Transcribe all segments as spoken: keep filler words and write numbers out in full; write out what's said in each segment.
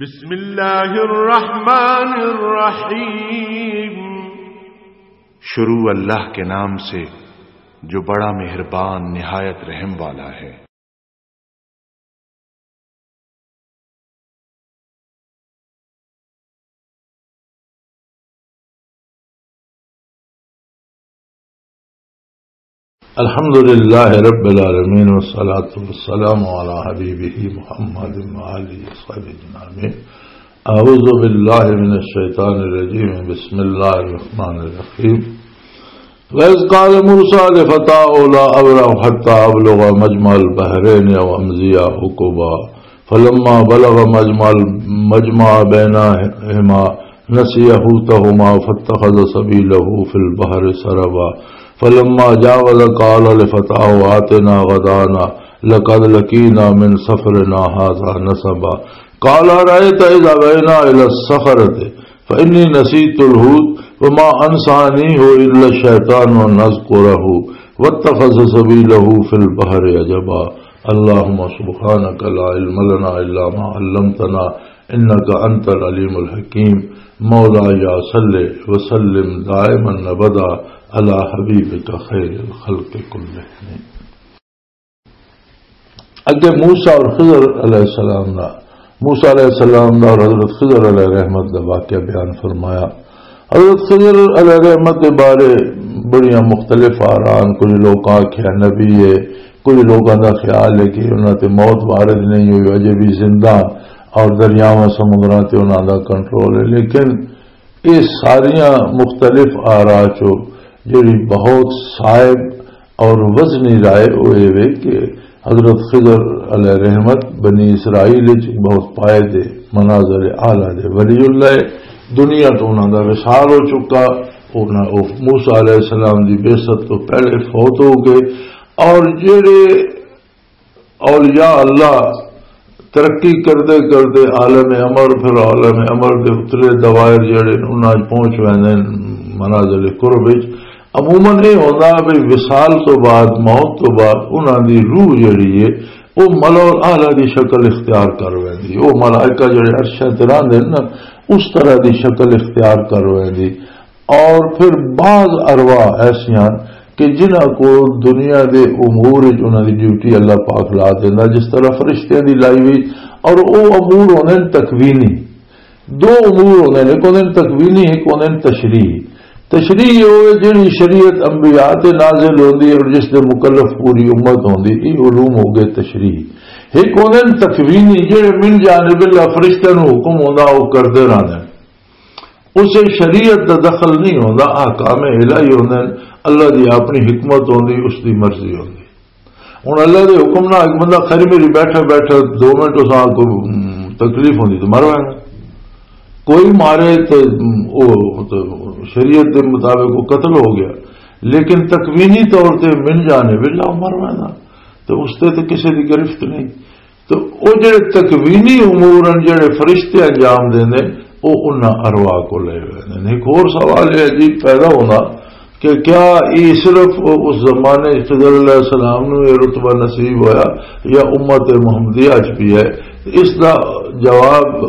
بسم اللہ الرحمن الرحیم۔ شروع اللہ کے نام سے جو بڑا مہربان نہایت رحم والا ہے۔ الحمد لله رب العالمين، والصلاة والسلام على حبيبه محمد وآله وصحبه أجمعين. أعوذ بالله من الشيطان الرجيم. بسم الله الرحمن الرحيم. وإذ قال موسى لفتاه لا أبرح حتى أبلغ مجمع البحرين أو أمضي حقبا. فلما بلغ مجمع، مجمع بينهما نسي حوتهما فاتخذ سبيله في البحر سربا. فلما جاوز قال لفتاه آتنا غدانا لقد لقينا من سفرنا هذا نصبا. قال أرأيت إذ أوينا إلى الصخرة فإني نسيت الحوت وما أنسانيه إلا الشيطان أن أذكره واتخذ سبيله في البحر عجبا. اللهم سبحانك لا علم لنا إلا ما علمتنا إنك أنت العليم الحكيم. مولاي صل وسلم دائما أبدا على حبيبك خير الخلق كلهم. اگے موسیٰ اور خضر علیہ السلام دا، موسیٰ علیہ السلام دا اور حضرت خضر علیہ رحمت دا واقعہ بیان فرمایا۔ حضرت خضر علیہ رحمت دے بارے بڑیاں مختلف آراں، کچھ لوکاں آکھیا نبی ہے، کچھ لوکاں دا خیال ہے کہ انہاں تے موت وارد نہیں ہوئی، اجے بھی زندہ اور دریاواں سمندراں تے انہاں دا کنٹرول ہے، لیکن یہ ساریاں مختلف آراں چوں جڑی بہت صائب اور وزنی رائے وہ یہ وے کہ حضرت خضر علیہ رحمت بنی اسرائیل وچ بہت پائے دے منازل اعلیٰ دے ولی اللہ ہے۔ دنیا تو انہاں دا وصال ہو چکا، انہاں، وہ موسیٰ علیہ السلام دی بعثت تو پہلے فوت ہو گئے، اور جڑے اولیاء اللہ ترقی کردے کردے عالم امر، پھر عالم امر دے اتلے دوائر جڑے نے، انہاں وچ پہنچ ویندے نے، منازل قرب وچ۔ عموماً یہ ہوتا بھی وصال تو بعد، موت تو بعد، انہاں دی روح جڑی ہے، وہ ملأ الاعلیٰ دی شکل اختیار کر ویندی، وہ ملائکہ جڑے عرشاں تے رہندے نے نا، اس طرح دی شکل اختیار کر ویندی۔ اور پھر بعض ارواح ایسیاں کہ جنہاں کو دنیا دے امور وچ انہاں دی ڈیوٹی اللہ پاک لا دیندا، جس طرح فرشتیاں دی لائی ہوئی۔ اور او امور ہوندے نے تکوینی، دو امور ہوندے نے، ایک ہوندے نے تکوینی، ایک ہوندے نے تشریحی۔ تشریحی ہوئے جڑی شریعت انبیاء تے نازل ہوندی ہے اور جس دے مکلف پوری امت ہوندی، یہ علوم ہو گئے تشریحی۔ ایک ہوندے نے تکوینی، جڑے من جانب اللہ فرشتیاں نوں حکم ہوندا، وہ کردے رہندے نے۔ اسے شریعت دا دخل نہیں ہوندا، احکام الہی ہوندے نے، اللہ دی اپنی حکمت ہوندی، اس دی مرضی ہوندی۔ ہن اللہ دے حکم نال ایک بندہ خیر میری بیٹھا بیٹھا دو منٹ اس نال کوئی، ام، تکلیف ہوندی تے مر وینا۔ کوئی مارے تے، ام، او تے شریعت دے مطابق وہ قتل ہو گیا، لیکن تکوینی طور تے من جانے ویلا مر وینا، تے اس تے تے کسے دی گرفت نہیں۔ تو او جڑے تکوینی امور ہن، جڑے فرشتے انجام دیندے، او انہاں ارواح کو لے ویندے نے۔ ایک اور سوال یہ عجیب پیدا ہونا کہ کیا یہ صرف اس زمانے خضر علیہ السلام نو یہ رتبہ نصیب ہویا یا امت محمدیہ اچ بھی ہے؟ اس دا جواب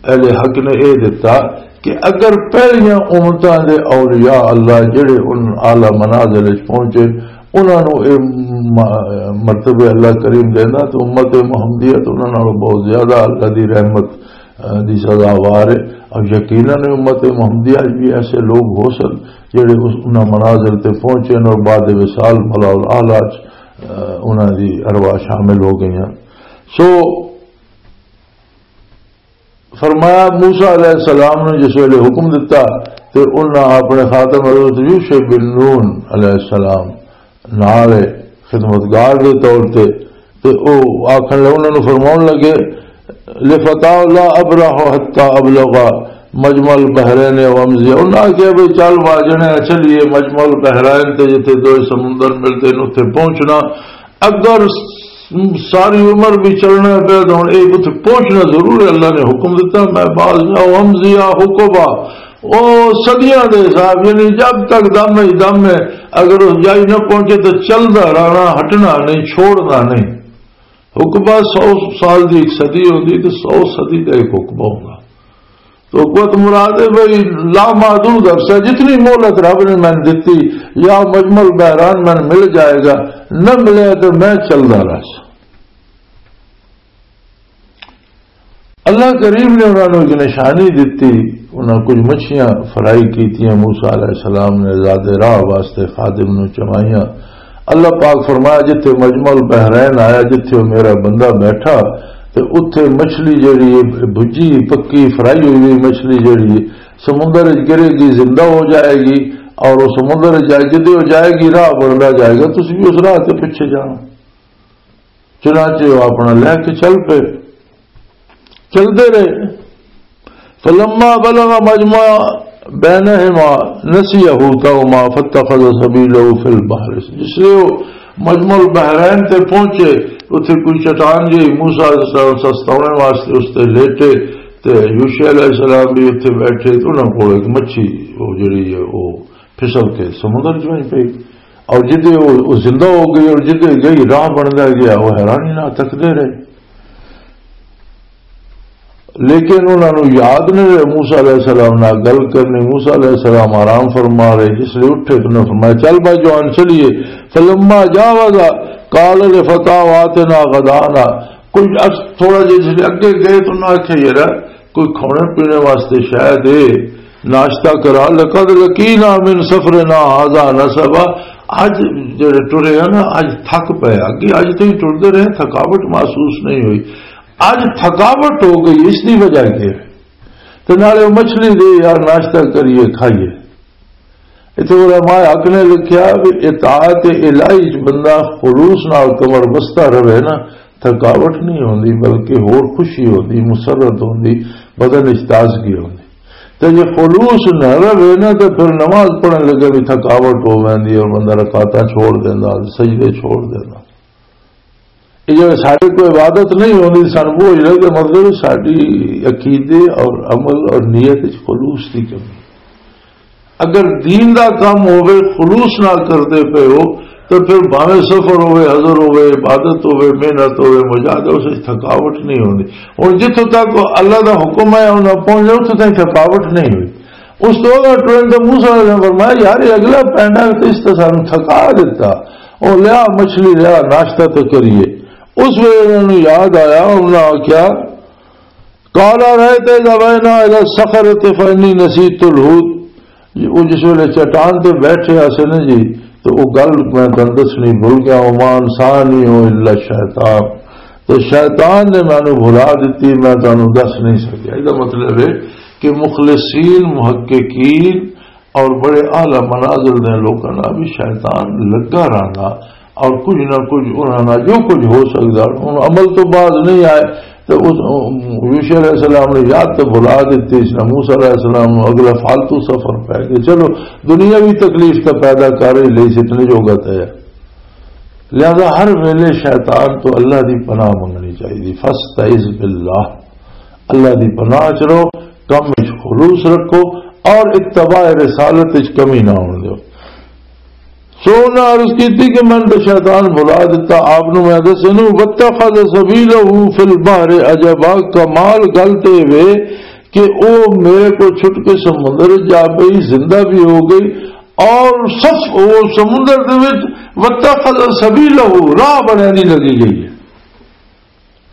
اہل حق نے یہ دیتا کہ اگر پہلیاں امتاں دے اولیاء اللہ جڑے ان اعلیٰ منازل وچ پہنچے، انہاں نوں اے م-، مرتبے اللہ کریم دینا، تو امت محمدیہ تو انہاں نالوں بہت زیادہ اللہ دی رحمت، اہ، دی سزاوار ہے۔ اور یقیناً امت محمدیہ وچ بھی ایسے لوگ ہو سن جڑے اس، انہاں منازل تے پہنچے اور بعد وصال ملأ الاعلیٰ وچ، اہ، انہاں دی ارواح شامل ہو گئیاں۔ سو، فرمایا، موسیٰ علیہ السلام نے جس ویلے حکم دتا تے انہاں اپنے خاتم حضرت یوشع بن نون علیہ السلام نال خدمتگار دے طور تے، تے او آکھن لگے، انہاں نوں فرماون لگے، لفتاہ لا ابرح حتی ابلغ مجمع البحرین او امضی۔ انہاں کہا، بھئی چل واجنے چلیے مجمع البحرین تے، جتھے دو سمندر ملتے ہیں، اتھے پہنچنا۔ اگر س-، ساری عمر بھی چلنا پیا تو ہن ایک اتھے پہنچنا ضرور ہے۔ اللہ نے حکم دیتا، میں باز جاؤ، امضیا حقبا، او صدیاں دے حساب، یعنی جب تک دم ہے، دم ہے، اگر اس جائی نہ پہنچے تو چلدا رہنا، ہٹنا نہیں، چھوڑنا نہیں۔ حقبہ سو سال دی ایک صدی ہوندی تے سو صدی دا ایک حقبہ ہوندا۔ تو حقبہ تو مراد ہے بھئی لا محدود عرصہ، جتنی مہلت رب نے مینوں دتی، یا مجمع البحرین مینوں مل جائے گا، نہ ملے تو میں چلدا رہساں۔ اللہ کریم نے انہاں نوں ایک نشانی دتی، انہاں کچھ مچھیاں فرائی کیتیاں، موسیٰ علیہ السلام نے زاد راہ واسطے خادم نوں چوائیاں۔ اللہ پاک فرمایا، جتھے مجمع البحرین آیا، جتھے وہ میرا بندہ بیٹھا، تے اتھے مچھلی جڑی ہے، بھجی، پکی، فرائی ہوئی ہوئی مچھلی جڑی ہے، سمندر وچ گرے گی، زندہ ہو جائے گی، اور وہ سمندر وچ جائے، جدے وہ جائے گی، راہ بندا جائے گا، تسی بھی اس راہ تے پیچھے جانا۔ چنانچہ وہ اپنا لے کے چل پے، چلدے رہے۔ فلما بلغ مجمع بینہما نسی حوتہما فاتخذ سبیلہ فی البحر۔ جس لئے وہ مجمع البحرین تے پہنچے، اتھے کوئی چٹان جی، موسیٰ علیہ السلام سستاونے واسطے اس تے لیٹے، تے یوشع علیہ السلام بھی اتھے بیٹھے، تے انہاں کول ایک مچھی، وہ جڑی ہے، وہ پھسل کے سمندر چ وہیں پئی۔ اور جدے وہ، وہ زندہ ہو گئی اور جدے گئی راہ بندا گیا، وہ حیرانی نال تکدے رہے۔ لیکن انہاں نوں یاد نہیں رہے موسیٰ علیہ السلام نال گل کرنی۔ موسیٰ علیہ السلام آرام فرما رہے، جس لئے اٹھے تو انہاں فرمایا، "چل بھائی جوان، چلیے۔" فلما جاوزا قال لفتاه آتنا غداءنا۔ کوئی عرص-، تھوڑا جہا جس لئے اگے گئے تو انہاں آکھیا، "یار، کوئی کھانے پینے واسطے شاید اے ناشتہ کرا، لقد لقینا من سفرنا هذا نصبا۔" اج جڑے ٹرے ہیں نا، اج تھک پئے، اگے اج تائیں ٹردے رہے، تھکاوٹ محسوس نہیں ہوئی، اج تھکاوٹ ہو گئی، اس دی وجہ یہ ہے۔ تے نالے مچھلی دے یار، ناشتہ کریے، کھائیے۔ اتھے علماء حق نے لکھیا بھی اطاعت الہی چ بندہ خلوص نال کمر بستہ رہے نا، تھکاوٹ نہیں ہوندی، بلکہ ہور خوشی ہوندی، مسرت ہوندی، بدن وچ تازگی ہوندی۔ تے جے خلوص نہ رہے نا، تے پھر نماز پڑھن لگے بھی تھکاوٹ ہو ویندی اور بندہ رکعتاں چھوڑ دیندا، سجدے چھوڑ دیندا۔ یہ جو سارے کوئی عبادت نہیں ہوندی، سن بوجھ لے کہ مطلب ساری عقیدے اور عمل اور نیت وچ خلوص دی کمی۔ اگر دین دا کم ہووے، خلوص نال کردے پئے ہو، تے پھر بھاویں سفر ہووے، حضر ہووے، عبادت ہووے، محنت ہووے، مجاہدہ، اس وچ تھکاوٹ نہیں ہوندی۔ ہن جتھوں تک اللہ دا حکم ہے، انہاں پہنچ جاؤ، اتھوں تائیں تھکاوٹ نہیں ہوئی۔ اس تو اگر ٹرین تے موسیٰ علیہ السلام فرمایا، "یار، یہ اگلا پینڈا تے اس تے سانوں تھکا دتا، او لیا مچھلی، لیا ناشتہ تے کریے۔" اس ویلے انہاں نوں یاد آیا، انہاں آکھیا، قال أرأيت إذ أوينا إلى الصخرة فإني نسيت الحوت۔ جی، وہ جس ویلے چٹان تے بیٹھے آسے نا جی، تو وہ گل میں تانوں دسنی بھول گیا، وما أنسانيه إلا الشيطان، تو شیطان نے مینوں بھلا دتی، میں تانوں دس نہیں سکیا۔ یہ مطلب ہے کہ مخلصین، محققین اور بڑے اعلیٰ منازل دے لوکاں نال بھی شیطان لگا رہندا، اور کچھ نہ کچھ انہاں نال جو کچھ ہو سکدا، ہن عمل تو باز نہیں آئے، تے اس یوشع علیہ السلام نے یاد تے بھلا دتی، اس نے موسیٰ علیہ السلام نوں اگلا فالتو سفر پے گیا۔ چلو، دنیاوی تکلیف تے پیدا کر ہی لئی سی، اتنے جوگا تے ہے۔ لہذا ہر ویلے شیطان تو اللہ دی پناہ منگنی چاہیے۔ فاستعذ باللہ، اللہ دی پناہ چ رہو، کم وچ خلوص رکھو اور اتباع رسالت وچ کمی نہ ہون دیو۔ سو انہاں عرض کیتی کہ میں تے شیطان بھلا دتا، آپ نو میں دسے نو، واتخذ سبیلہ فی البحر عجبا، کمال گل تے وے کہ او میرے کو چھٹ کے سمندر وچ جا پئی، زندہ بھی ہو گئی، اور صف، او سمندر دے وچ واتخذ سبیلہ، راہ بنانی لگی گئی ہے۔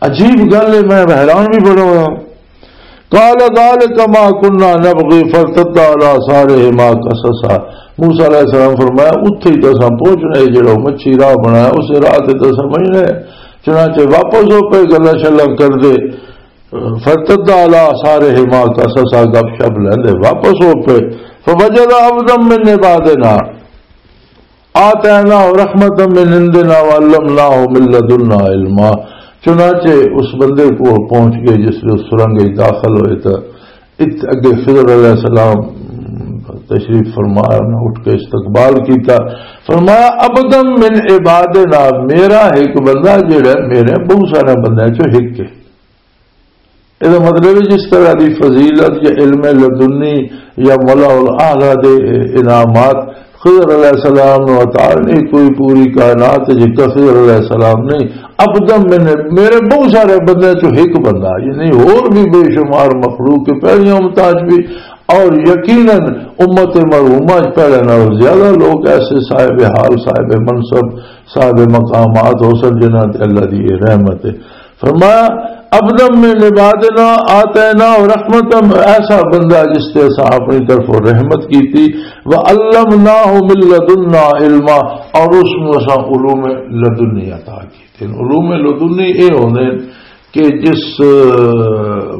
عجیب گل ہے، میں حیران بھی بڑا ہوا۔ قال ذلك ما كنا نبغي فارتدا على آثارهما قصصا۔ موسیٰ علیہ السلام فرمایا، اتھے ہی تو اساں پہنچنا ہے، جڑا مچھی راہ بنایا، اسے راہ تے تو اساں وہی رہے۔ چنانچہ واپس ہو پے، گلاں شلاں کر دے، فارتدا على آثارهما قصصا، گپ شپ لیندے واپس ہو پے۔ فوجد عبدا من عبادنا آتیناہ رحمتا من عندنا وعلمناہ من لدنا علما۔ چنانچہ اس بندے کو پہنچ گئے جس نے اس سرنگ وچ داخل ہوئے تو ات-، اگے خضر علیہ السلام تشریف فرمایا، انہاں اٹھ کے استقبال کیتا۔ فرمایا، "عبدا من عبادنا"، میرا ایک بندہ جڑا ہے، میرے بہت سارے بندے چوں ایک ہے۔ یہ مطلب ہے جس طرح دی فضیلت یا علم لدنی یا ملا الاعلیٰ دے انعامات خضر علیہ السلام نو عطا نہیں، کوئی پوری کائنات جی خضر علیہ السلام نہیں۔ ابدم میں نے، میرے بہت سارے بندے چوں ایک بندہ، یعنی اور بھی بے شمار مخلوق کے پہلیاں امتاں چ بھی، اور یقیناً امت مرحومہ چ پہلے نالوں زیادہ لوگ ایسے صاحب حال، صاحب منصب، صاحب مقامات ہو سن جنہاں تے اللہ دی یہ رحمت ہے۔ فرمایا، ابدم میں نبادنا آتینا رحمتم، ایسا بندہ جس تے اساں اپنی طرفوں رحمت کیتی، وعلمناہ من لدنا علما، اور اس نوں اساں علوم لدنی عطا کیتے۔ علوم لدنی اے ہوندے کہ جس، آ،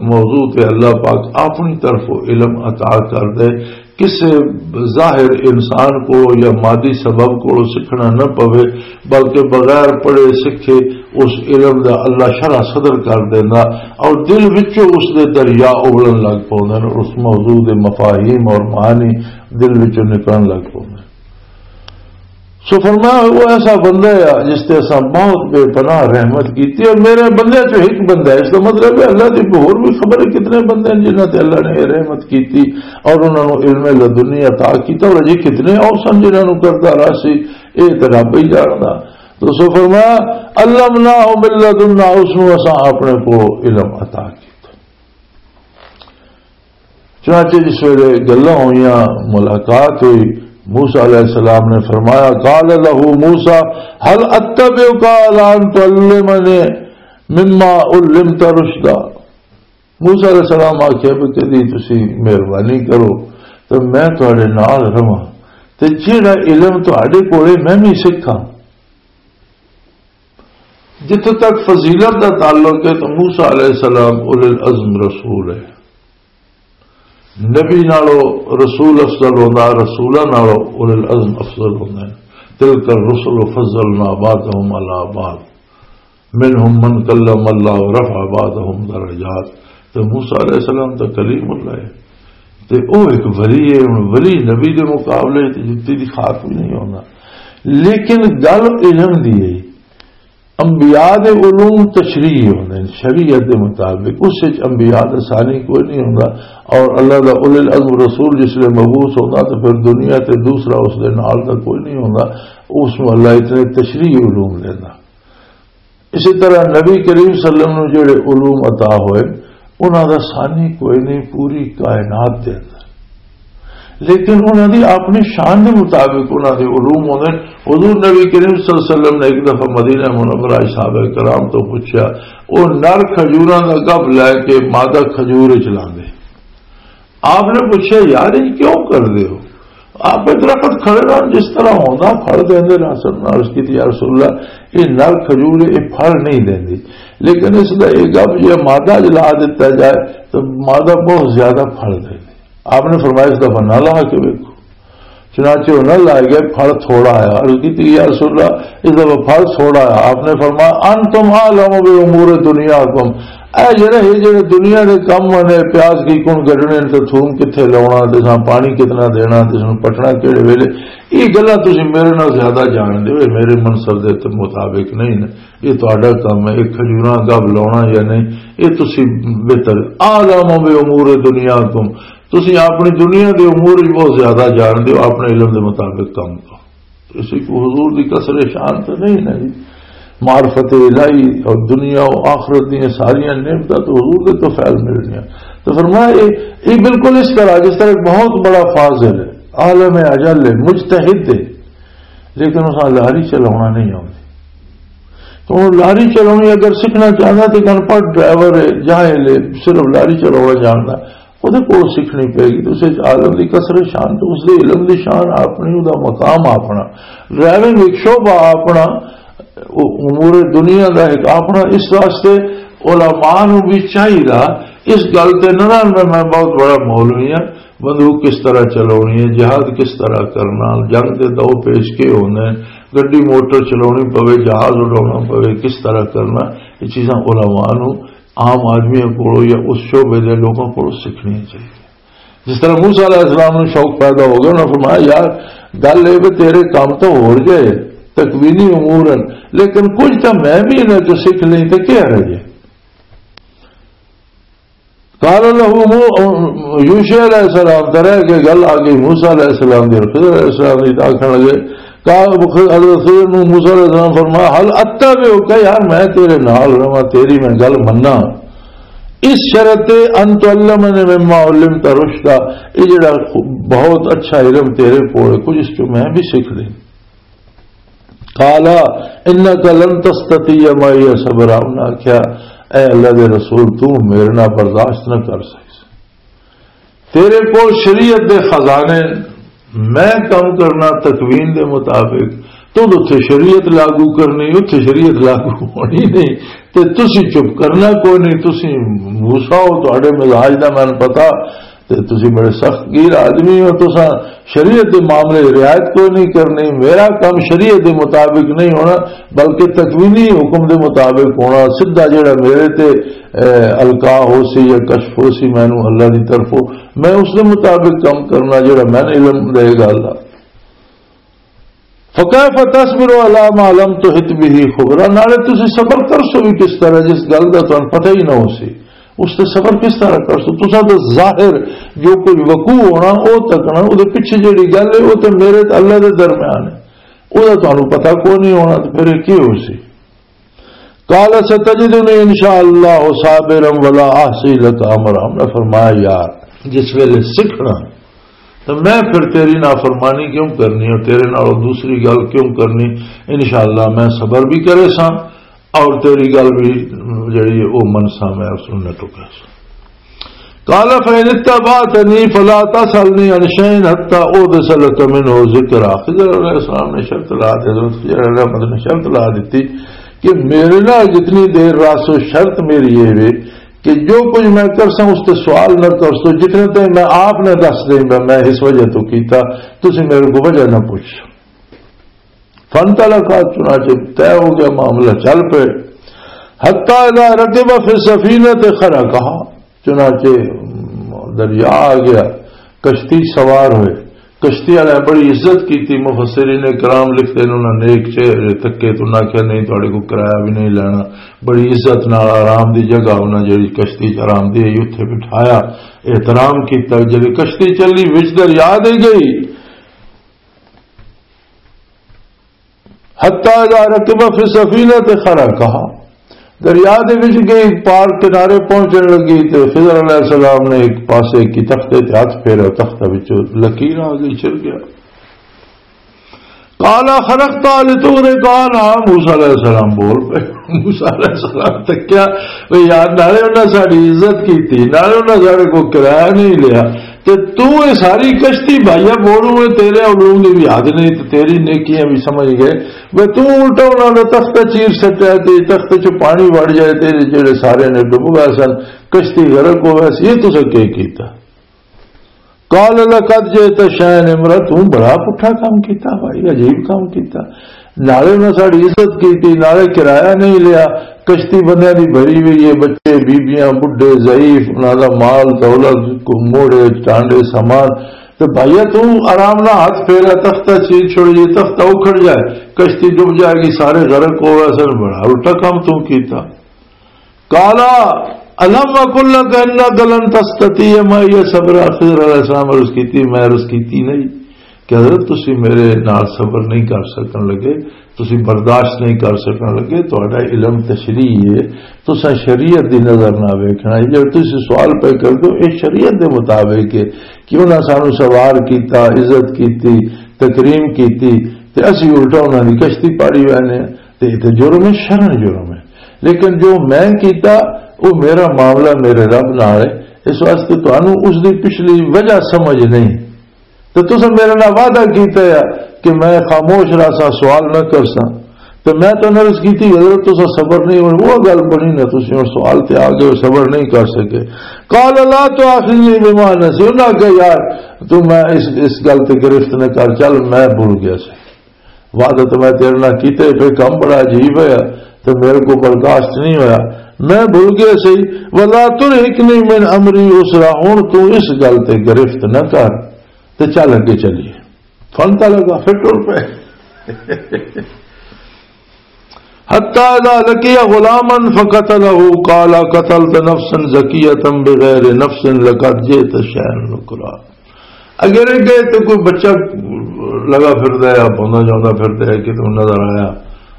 موضوع تے اللہ پاک اپنی طرفوں علم عطا کر دے، کسے ظاہر انسان کو یا مادی سبب کو سکھنا نہ پوے، بلکہ بغیر پڑھے سکھے اس علم دا اللہ شرح صدر کر دینا، اور دل وچوں اس دے دریا اگلن لگ پوندے نے، اس موضوع دے مفاہیم اور معانی دل وچوں نکلن لگ پوندے۔ سو فرمایا، وہ ایسا بندہ ہے جس تے اساں بہت بے پناہ رحمت کیتی، اور میرے بندے چوں ایک بندہ ہے۔ اس کا مطلب ہے اللہ دی ہور بھی خبر ہے کتنے بندے ہیں جنہاں تے اللہ نے یہ رحمت کیتی اور انہاں نوں علم لدنی عطا کیتا، اور اجے کتنے اور سن جنہاں نوں کردا رہا سی، یہ تے رب ہی جاندا۔ تو سو فرمایا، علمناہ من لدنا، اس نوں اساں اپنے کو علم عطا کیتا۔ چنانچہ جس ویلے گلاں ہوئیاں، ملاقات ہوئی، موسیٰ علیہ السلام نے فرمایا، قال له موسیٰ، هل اتبعك على ان تعلمني مما علمت رشدا؟ موسیٰ علیہ السلام آکھیا بھی کدی تسی مہربانی کرو تے میں تہاڈے نال رہواں تے جیڑا علم تہاڈے کولے میں بھی سکھاں۔ جتھے تک فضیلت دا تعلق ہے تو موسیٰ علیہ السلام اولو العزم رسول ہے۔ نبی نالو رسول افضل ہوندا، رسولاں نالو اولو العزم افضل ہوندے نے۔ تلک الرسل فضلنا بعضهم على بعض منهم من کلم اللہ ورفع بعضهم درجات۔ تے موسیٰ علیہ السلام تو کلیم اللہ ہے، تے او ایک ولی ہے۔ ہن ولی نبی دے مقابلے تے جتی دی خاک بھی نہیں ہوندا۔ لیکن گل علم دی ہے۔ انبیاء دے علوم تشریعی ہوندے نے، شریعت دے مطابق۔ اس وچ انبیاء دا ثانی کوئی نہیں ہوندا، اور اللہ دا اولو العزم رسول جس لے مبعوث ہوندا تے پھر دنیا تے دوسرا اس دے نال دا کوئی نہیں ہوندا۔ اس نوں اللہ اتنے تشریعی علوم دیندا۔ اسی طرح نبی کریم صلی اللہ علیہ وسلم نوں جڑے علوم عطا ہوئے، انہاں دا ثانی کوئی نہیں پوری کائنات دے اندر، لیکن انہاں دی اپنی شان دے مطابق انہاں دے علوم ہوندے نے۔ حضور نبی کریم صلی اللہ علیہ وسلم نے ایک دفعہ مدینہ منورہ وچ صحابہ کرام تو پوچھا، او نر کھجوراں دا گب لے کے مادہ کھجور وچ لاندے۔ آپ نے پوچھا، یار، یہ کیوں کر دے ہو؟ آپ ایک درخت کھڑے رہن، جس طرح ہوندا پھل دیندے رہن۔ سب نے عرض کی تھی، یا رسول اللہ، یہ نر کھجور، یہ پھل نہیں دیندی، لیکن اس دا یہ گب جے مادہ جلا دیتا جائے تو مادہ بہت زیادہ پھل دیندی۔ آپ نے فرمایا، اس دفعہ نہ لا کے ویکھو۔ چنانچہ وہ نہ لائے گئے، پھل تھوڑا آیا۔ عرض کی تھی، یا رسول اللہ، اس دفعہ پھل تھوڑا آیا۔ آپ نے فرمایا، انتم اعلم بامور دنیاکم، اے جڑے، یہ جڑے دنیا دے کم نے، پیاز کی کن گڈنے تے تھوم کتھے لاونا، تے ساں پانی کتنا دینا، تے ساں پٹنا کیڑے ویلے، یہ گلاں تسی میرے نال زیادہ جان دے ہو، یہ میرے منصب دے تے مطابق نہیں نے۔ یہ تہاڈا کم ہے، یہ کھجوراں گب لاونا یا نہیں، یہ تسی بہتر۔ اعلم بامور دنیاکم، تسی اپنی دنیا دے امور وچ بہت زیادہ جان دے ہو، اپنے علم دے مطابق کم کرو۔ اسی کو حضور دی کسر شان تے نہیں نا جی۔ معرفت الہی اور دنیا و آخرت دی ساری نعمتاں تو حضور دے تو فیل ملنیاں۔ تو فرمایا، یہ، یہ بالکل اس طرح، جس طرح ایک بہت بڑا فاضل ہے، عالم اجل ہے، مجتہد ہے، لیکن اس لاری چلاونا نہیں آتی۔ تو وہ لاری چلانی اگر سیکھنا چاہتا تو ایک انپڑھ ڈرائیور ہے، جاہل ہے، صرف لاری چلاونا جانتا، وہ کول سیکھنی پے گی۔ تو اس وچ عالم دی کسر شان، تو اس دے علم دی شان اپنی، وہ مقام اپنا، ڈرائیونگ ایک شعبہ اپنا، وہ امور دنیا دا ایک اپنا۔ اس واسطے علماء نو بھی چاہیے اس گل تے نہ رہن میں، میں بہت بڑا مولوی ہاں، بندوق کس طرح چلانی ہے، جہاد کس طرح کرنا، جنگ دے دو پیش کے ہونے، گڈی موٹر چلانی پوے، جہاز اڈانا پوے، کس طرح کرنا، یہ چیزاں علماء نو، عام آدمیوں کو یا اس شعبے دے لوگوں کو سیکھنی چاہیے۔ جس طرح موسیٰ علیہ السلام نو شوق پیدا ہو گیا، انہوں نے فرمایا، یار، گل یہ بھی تیرے کام تو ہو جائے، تکوینی امور ہیں، لیکن کچھ تو میں بھی انہیں تو سیکھ لیں تو کیا رہ جائے۔ قال له مو-، یوشع علیہ السلام، طرح کے گل آ گئی موسیٰ علیہ السلام دی اور خضر علیہ السلام دی، تو آکھن لگے، کہا حضرت خضر نو موسیٰ علیہ السلام فرمایا، هل اتبعک، یار میں تیرے نال رہواں، تیری میں گل مننا، اس شرط تے، ان تعلمنی مما علمت رشدا، یہ جڑا بہت اچھا علم تیرے کول ہے، کچھ اس چوں میں بھی سیکھ لیں۔ قال انک لن تستطیع معی صبرا، انہاں آکھیا، اے اللہ دے رسول، تو میرے نال برداشت نہ کر سکے۔ تیرے کول شریعت دے خزانے، میں کم کرنا تکوین دے مطابق، تو اتھے شریعت لاگو کرنی، اتھے شریعت لاگو ہونی نہیں، تے تسی چپ کرنا کوئی نہیں۔ تسی موسیٰ ہو، تہاڈے مزاج دا مینوں پتا، تے تسی بڑے سخت گیر آدمی ہو، تساں شریعت دے معاملے رعایت کوئی نہیں کرنی۔ میرا کم شریعت دے مطابق نہیں ہونا، بلکہ تکوینی حکم دے مطابق ہونا۔ سیدھا جڑا میرے تے، اے، القاء ہو سی یا کشف ہو سی مینوں اللہ دی طرفوں، میں اس دے مطابق کم کرنا جڑا میں علم دے گا اللہ۔ فکیف تصبر علی ما لم تحط به خبرا، نالے تسی صبر کر سو بھی کس طرح جس گل دا تانوں پتہ ہی نہ ہو سی، اس تے صبر کس طرح کر سو؟ تساں تے ظاہر جو کوئی وقوع ہونا، او تکنا، او دے پیچھے جڑی گل ہے، او تے میرے تے اللہ دے درمیان ہے، او دا تانوں پتہ کوئی نہیں ہونا، تے پھر یہ کی ہو سی؟ قال ستجدنی ان شاء اللہ صابرا ولا احصی لک امرا۔ میں فرمایا، یار، جس ویلے سکھنا تو میں پھر تیری نافرمانی کیوں کرنی اور تیرے نال دوسری گل کیوں کرنی؟ انشاءاللہ میں صبر بھی کرے ساں اور تیری گل بھی جڑی ہے او من سا، میں سننے ٹکے ساں۔ قال فإن اتبعتنی فلا تسألنی عن شيء حتى أحدث لك منه ذكرا۔ خضر علیہ السلام نے شرط لا دی، حضرت خضر علیہ الرحمت نے شرط لا دیتی کہ میرے نال جتنی دیر راسو، شرط میری یہ وے کہ جو کچھ میں کرساں اس تے سوال نہ کرسو، جتنے تائیں میں آپ نے دس دیں میں، میں اس وجہ تو کیتا، تسی میرے کو وجہ نہ پوچھ۔ فانطلقا، چنانچہ طے ہو گیا معاملہ، چل پے۔ حتی اذا رکب فی السفینۃ خرقہا، چنانچہ دریا آ گیا، کشتی سوار ہوئے۔ کشتی والے بڑی عزت کیتی، مفسرین کرام لکھتے ہیں، انہاں نیک چہرے تکے تو نہ کہیا، نہیں، تہاڈے کو کرایہ بھی نہیں لینا۔ بڑی عزت نال آرام دی جگہ، انہاں جڑی کشتی چ آرام دی ہے، اوتھے بٹھایا، احترام کیتا۔ جدی کشتی چلی، وچ دریا دے گئی، حتی اذا رکب فی السفینۃ خرقہا، دریا دے وچ گئی، پار کنارے پہنچن لگی تے خضر علیہ السلام نے ایک پاسے کی تختے تے ہاتھ پھیرا، تختہ وچوں لکیر آ گئی، چل گیا۔ قال خرقت لتغرق اہلہا، موسیٰ علیہ السلام بول پے۔ موسیٰ علیہ السلام تکیا، وے یار، نالے انہاں ساڈی عزت کیتی، نالے انہاں ساڈے کو کرایہ نہیں لیا، تے تو اے ساری کشتی بھائیا بولوں اے، تیرے علوم دی بھی حد نہیں تے تیری نیکیاں بھی سمجھ گئے۔ وے تو الٹا انہاں دا تخت چیر سٹیا تے تخت چ پانی وڑ جائے تے جڑے سارے نے ڈب گئے سن، کشتی غرق ہو گئے سی، یہ تساں کی کیتا؟ قال لقد جئت شيئا امرا، تو بڑا پٹھا کام کیتا بھائی، عجیب کام کیتا۔ نالے انہاں ساڈی عزت کیتی، نالے کرایہ نہیں لیا، کشتی بندیاں دی بھری ہوئی ہے، بچے، بیبیاں، بڈھے، ضعیف، انہاں دا مال دولت، موڑے، ٹانڈے، سامان۔ تے بھائیا، تو آرام نال ہاتھ پھیرا، تختہ چیر چھوڑیے، تختہ اکھڑ جائے، کشتی ڈب جائے گی، سارے غرق ہو گئے سن، بڑا الٹا کام تو کیتا۔ قال الم اقل لك انك لن تستطيع معي صبرا، خضر علیہ السلام عرض کیتی، میں عرض کیتی نہیں کہ حضرت تسی میرے نال صبر نہیں کر سکن لگے، تسی برداشت نہیں کر سکن لگے، تہاڈا علم تشریح ہے، تساں شریعت دی نظر نہ ویکھنا۔ یہ جڑا تسی سوال پہ کر دو، یہ شریعت دے مطابق ہے کہ انہاں سانو سوار کیتا، عزت کیتی، تکریم کیتی، تے اسی الٹا انہاں دی کشتی پاڑی وینے۔ تے اتنے جرم ہے، شرن جرم ہے۔ لیکن جو میں کیتا، وہ میرا معاملہ میرے رب نال ہے۔ اس واسطے تانوں اس دی پچھلی وجہ سمجھ نہیں۔ تے تساں میرے نال وعدہ کیتا ہے کہ میں خاموش رہساں، سوال نہ کرساں۔ تے میں تو عرض کیتی، حضرت، تساں صبر نہیں ہونا، وہ گل بنی نہ، تسی ہن سوال تے آ گئے، صبر نہیں کر سکے۔ قال لا تؤاخذنی بما نسیت، انہاں کہا، یار، تو میں اس، اس گل تے گرفت نہ کر، چل، میں بھول گیا سی۔ وعدہ تو میں تیرے نال کیتے، پھر کم بڑا عجیب ہویا، تے میرے کو برداشت نہیں ہویا، میں بھول گیا سی۔ ولا ترهقنی من امری عسرا، ہن تو اس گل تے گرفت نہ کر، تے چل اگے چلیے۔ فانطلقا، پھر ٹر پے۔ حتى إذا لقي غلاما فقتله قال قتلت نفسا زكية بغير نفس لقد جئت شيئا نكرا۔ اگر یہ گئے تو کوئی بچہ لگا پھردا ہے، بوندا جاندا پھردا ہے، کتوں نظر آیا،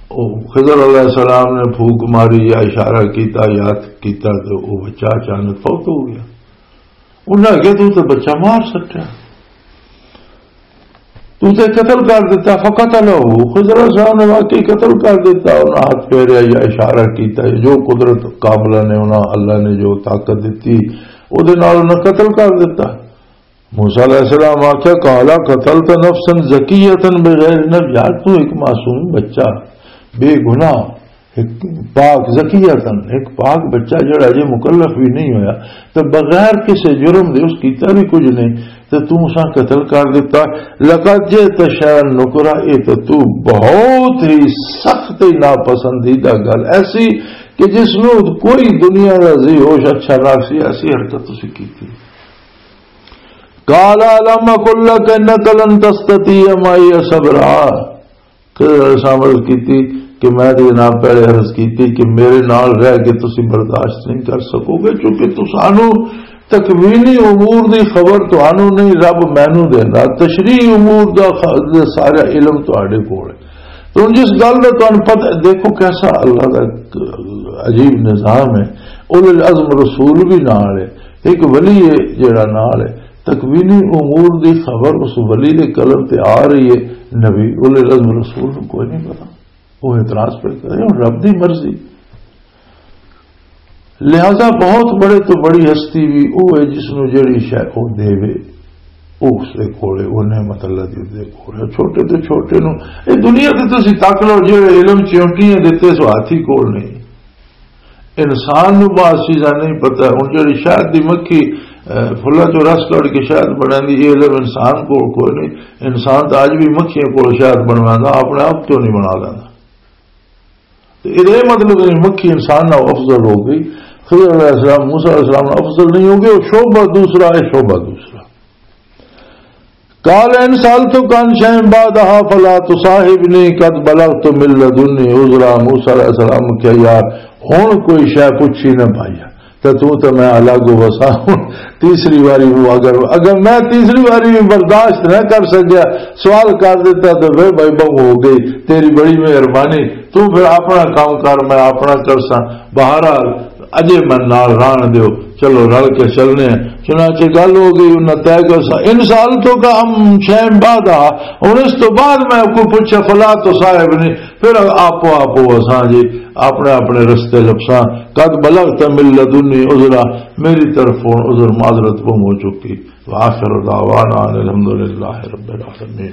او خضر علیہ السلام نے پھوک ماری یا اشارہ کیتا، یاد کیتا، تو وہ بچہ اچانک فوت ہو گیا۔ انہاں آکھیا، "تو تے بچہ مار سٹیا، تو تے قتل کر دیتا۔" فقتلہ، خضر علیہ السلام نے واقعی قتل کر دیتا۔ انہاں ہاتھ پھیریا یا اشارہ کیتا، جو قدرت کاملہ نے، انہاں اللہ نے جو طاقت دتی، او دے نال انہاں قتل کر دیتا۔ موسیٰ علیہ السلام آکھیا، "قال قتلت نفسا زکیۃ بغیر نفس۔" یار، تو ایک معصوم بچہ، بے گناہ، ایک پاک، زکیتن، ایک پاک بچہ جڑا اجے مکلف بھی نہیں ہویا، تے بغیر کسے جرم دے، اس کیتا بھی کچھ نہیں، تے تو اساں قتل کر دیتا۔ لقد جئت شیئا نکرا، اے تے تو بہت ہی سخت ہی ناپسندیدہ گل ایسی کہ جس نو کوئی دنیا دا ذی ہوش اچھا نہ سی، ایسی حرکت تسی کیتی۔ قال الم اقل لک انک لن تستطیع معی صبرا۔ خضر علیہ السلام عرض کیتی کہ میں تے جناب پہلے عرض کیتی کہ میرے نال رہ کے تسی برداشت نہیں کر سکو گے، کیونکہ تسانو تکوینی امور دی خبر تانوں نہیں، رب مینوں دیندا، تشریحی امور دا خ-، سارا علم تہاڈے کول ہے۔ تو ہن جس گل دا تانوں پتہ، دیکھو کیسا اللہ دا ایک عجیب نظام ہے۔ اولو العزم رسول بھی نال ہے، ایک ولی ہے جڑا نال ہے، تکوینی امور دی خبر اس ولی دے قلم تے آ رہی ہے، نبی اولو العزم رسول نوں کوئی نہیں پتا۔ وہ اعتراض پہ کرے، ہن رب دی مرضی۔ لہذا بہت بڑے تو بڑی ہستی بھی وہ ہے جس نو جڑی شے وہ دے وے، وہ اس دے کول ہے، وہ نعمت اللہ دی اس دے کول ہے۔ چھوٹے تو چھوٹے نو، اے دنیا تے تسی تک لو، جڑے علم چونٹیاں دتے سو ہاتھی کول نہیں۔ انسان نو بعض چیزاں نہیں پتہ۔ ہن جڑی شہد دی مکھی، اے، پھلاں چوں رس کڈ کے شہد بناندی، یہ علم انسان کول کوئی نہیں۔ انسان تو اج بھی مکھیاں کول شہد بنواندا، اپنے آپ کیوں نہیں بنا لیندا؟ تے اے مطلب نہیں مکھی انسان نال افضل ہو گئی۔ خضر علیہ السلام، موسیٰ علیہ السلام نال افضل نہیں ہو گئے، وہ شعبہ دوسرا ہے، شعبہ دوسرا۔ قال ان سألتک عن شیء بعدها فلا تصاحبنی قد بلغت من لدنی عذرا۔ موسیٰ علیہ السلام کہیا، یار، ہن کوئی شے پوچھی نہ پائی، تے تو تے میں الگ ہو وسا۔ ہن تیسری واری وہ اگر، اگر میں تیسری واری بھی برداشت نہ کر سکیا، سوال کر دیتا، تو پھر بھائی بہو ہو گئی، تیری بڑی مہربانی، تو پھر اپنا کام کر، میں اپنا کرساں۔ بہرحال، اجے میں نال رہن دیو، چلو رل کے چلنے ہیں۔ چنانچہ گل ہو گئی، انہاں طے کرسا۔ ان سألتک عن شیء بعدها، ہن اس تو بعد میں کوئی پوچھے، فلا تصاحبنی، پھر آپو آپو اساں جی اپنے اپنے رستے لپساں۔ قد بلغت من لدنی عذرا، میری طرف ہن عذر معذرت گم ہو چکی۔ وآخر دعوانا ان الحمد للہ رب العالمین۔